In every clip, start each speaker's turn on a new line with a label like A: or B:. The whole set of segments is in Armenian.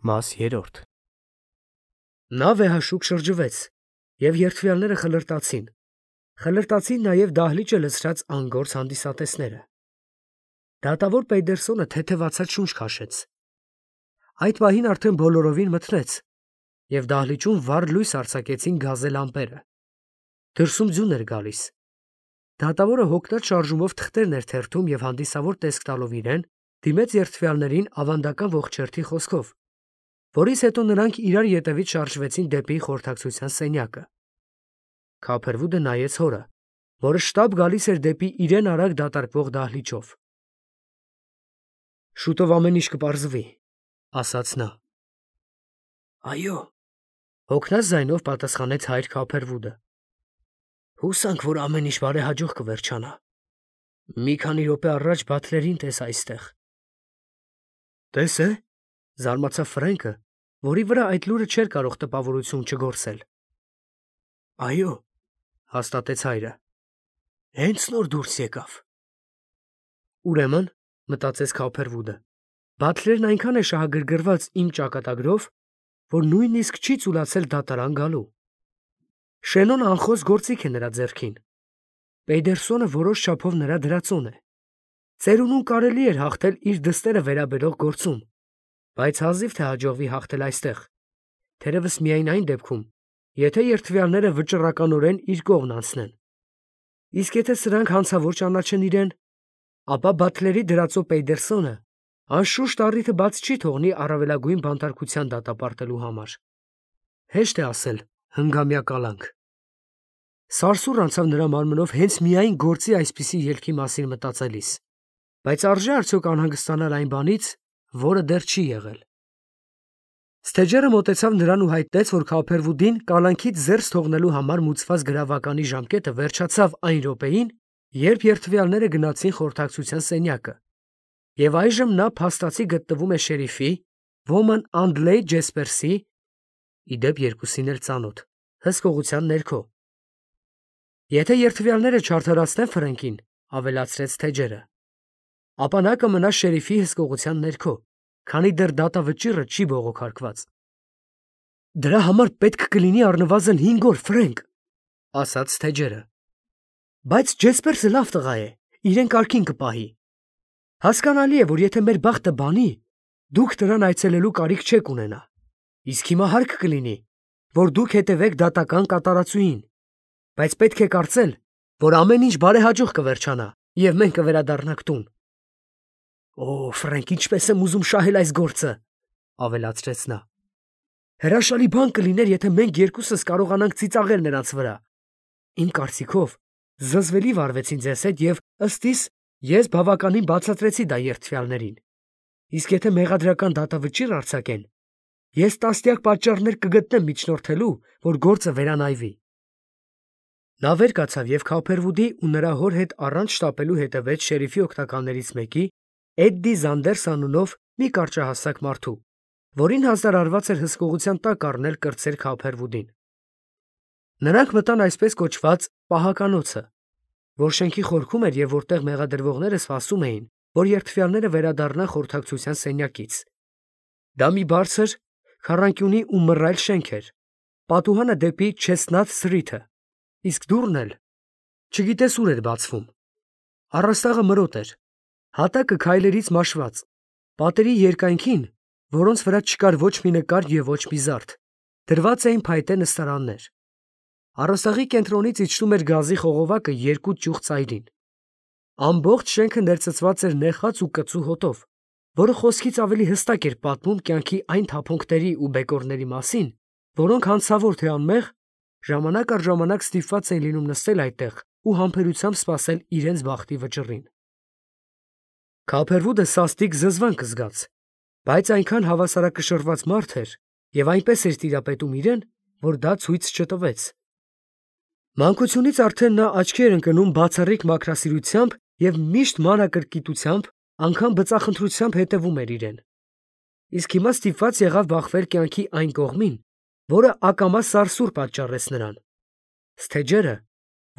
A: Մաս 3 Նա վեհաշուկ շրջվեց, և երդվյալները խլրտացին նաև դահլիճը լցրած անգործ հանդիսատեսները։ Դատավոր Պեյդերսոնը թեթևացած շունչ քաշեց։ Այդ պահին արդեն բոլորովին մթնեց, և դահլիճում վառ լույս արձակեցին գազե լամպերը։ Դրսում ձյուն էր գալիս։ Դատավորը հոգնած շարժումով թղթերն էր թերթում և հանդիսավոր տեսք տալով իրեն, դիմեց երդվյալներին ավանդական ողջերթի խոսքով, որից հետո նրանք իրար ետևից շարժվեցին դեպի խորհրդակցության սենյակը։ Քափերվուդը նայեց հորը, որը շտապ գալիս էր դեպի իրեն արագ դատարկվող դահլիճով։ «Շուտով ամեն ինչ կպարզվի», ֊ ասաց նա։ «Այո», ֊ հոգնած ձայնով պատասխանեց հայր Քափերվուդը։ «Հուսանք, որ ամեն ինչ բարեհաջող կվերջանա։ Մի քանի րոպե առաջ Բաթլերին տես այստեղ»։ «Տես է՞, ֊ զարմացավ Ֆրենկը, որի վրա այդ լուրը չէր կարող տպավորություն չգործել։ «Այո», ֊ հաստատեց հայրը, «հենց նոր դուրս եկավ»։ «Ուրեմն, ֊ մտածեց Քափերվուդը, ֊ Բաթլերն այնքան է շահագրգռված իմ ճակատագրով, որ նույնիսկ չի ծուլացել դատարան գալու։ Շենոնը անխոս գործիք է նրա ձեռքին։ Պեյդերսոնը որոշ չափով նրա դրածոն է։ Ծերունուն կարելի էր հաղթել իր դստերը վերաբերող գործում, բայց հազիվ թե հաջողվի հաղթել այստեղ, թերևս միայն այն դեպքում, եթե երդվյալները վճռականորեն իր կողմն անցնեն։ Իսկ եթե սրանք հանցավոր ճանաչեն իրեն, ապա Բաթլերի դրածո Պեյդերսոնը անշուշտ առիթը բաց չի թողնի առավելագույն բանտարկության դատապարտելու համար։ Հեշտ է ասել հնգամյա կալանք։ Սարսուռ անցավ նրա մարմնով հենց միայն գործի այսպիսի ելքի մասին մտածելիս, բայց արժե արդյոք անհանգստանալ այն բանից, որը դեռ չի եղել։ Ստեջերը մոտեցավ նրան ու հայտնեց, որ Քափերվուդին կալանքից զերծ թողնելու համար մուծված գրավականի ժամկետը վերջացավ այն րոպեին, երբ երդվյալները գնացին խորհրդակցության սենյակը, և այժմ նա փաստացի գտնվում է շերիֆի, ոմն Անդլեյ Ջեսպերսի, ի դեպ երկուսին էլ ծանոթ, հսկողության ներքո։ Եթե երդվյալները չարդարացնեն Ֆրենկին, ավելացրեց Ստեջերը, ապա նա կմնա շերիֆի հսկողության ներքո, քանի դեռ դատավճիռը չի բողոքարկված։ «Դրա համար պետք կլինի առնվազն 5 օր, Ֆրենկ, ֊ ասաց Ստեջերը։ Բայց Ջեսպերսը լավ տղա է, իրեն կարգին կպահի։ Հասկանալի է, որ եթե մեր բախտը բանի, դուք նրան այցելելու կարիք չեք ունենա։ Իսկ հիմա հարկ կլինի, որ դուք հետևեք դատական կատարածուին, բայց պետք է կարծել, որ ամեն ինչ բարեհաջող կվերջանա, և մենք կվերադառնանք տուն»։ «Օ, Ֆրենկ, ինչպես եմ ուզում շահել այս գործը, ֊ ավելացրեց նա։ Հրաշալի բան կլիներ, եթե մենք երկուսս կարողանանք ծիծաղել նրանց վրա։ Իմ կարծիքով, զզվելի վարվեցին ձեզ հետ և, ըստ իս, ես բավականին բացատրեցի դա երդվյալներին։ Իսկ եթե մեղադրական դատավճիռ արձակեն, ես տասնյակ պատճառներ կգտնեմ միջնորդելու, որ գործը վերանայվի։ Նա վեր կացավ և Քափերվուդի ու նրա հոր հետ առանց շտապելու հետևեց շերիֆի օգնականներից մեկի, Էդդի Զանդերս անունով մի կարճահասակ մարդու, որին հազար արված էր հսկողության տակ առնել կրտսեր Քափերվուդին։ Նրանք մտան այսպես կոչված պահականոցը, որ շենքի խորքում էր և որտեղ մեղադրվողները սպասում էին, որ երդվյալները վերադառնան խորհրդակցության սենյակից։ Դա մի բարձր, քառանկյունի ու մռայլ շենք էր, պատուհանը դեպի Չեսնաթ Սթրիթը, իսկ դուռն էլ չգիտես ուր էր բացվում։ Առաստաղը մրոտ էր, հատակը քայլերից մաշված, պատերի երկայնքին, որոնց վրա չկար ոչ մի նկար և ոչ մի զարդ, դրված էին փայտե նստարաններ։ Առաստաղի կենտրոնից իջնում էր գազի խողովակը երկու ճյուղ ծայրին։ Ամբողջ շենքը ներծծված էր նեխած ու կծու հոտով, որը խոսքից ավելի հստակ էր պատմում կյանքի այն թափոնկների ու բեկորների մասին, որոնք հանցավոր թե անմեղ, ժամանակ առ ժամանակ ստիպված էին լինում նստել այդտեղ ու համբերությամբ սպասել իրենց բախտի վճռին։ Քափերվուդը սաստիկ զզվանք զգաց, բայց այնքան հավասարակշռված մարդ էր և այնպես էր տիրապետում իրեն, որ դա ցույց չտվեց։ Մանկությունից արդեն նա աչքի էր ընկնում բացառիկ մաքրասիրությամբ և միշտ մանրակրկիտությամբ, անգամ բծախնդրությամբ հետևում էր իրեն։ Իսկ հիմա ստիպված եղավ բախվել կյանքի այն կողմին, որը ակամա սարսուռ պատճառեց նրան։ Ստեջերը,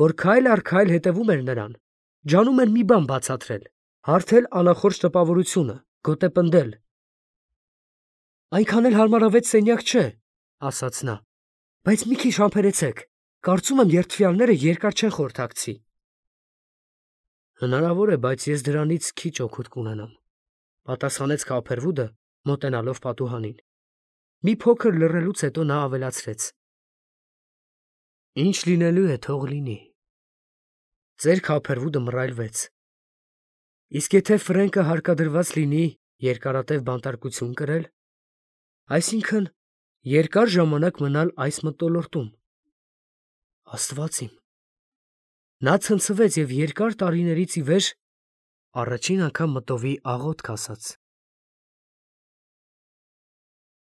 A: որ քայլ առ քայլ հետևում էր նրան, ջանում էր մի բան բացատրել, հարթել անախորժ տպավորությունը, գոտեպնդել։ Այնքան էլ հարմարավետ սենյակ չէ, ասաց նա, բայց մի քիչ համբերեցեք, կարծում եմ երդվյալները երկար չեն խորհրդակցի։ Հնարավոր է, բայց ես դրանից քիչ օգուտ կունենամ, պատասխանեց Քափերվուդը, մոտենալով պատուհանին։ Մի փոքր լռելուց հետո նա ավելացրեց. Ինչ լինելու է, թող լինի։ Ծեր Քափերվուդը մռայլվեց։ Իսկ եթե Ֆրենկը հարկադրված լինի երկարատև բանտարկություն կրել, այսինքն երկար ժամանակ մնալ այս մթնոլորտում, Աստված իմ, նա ցնցվեց և երկար տարիներից ի վեր առաջին անգամ մտովի աղոթք ասաց։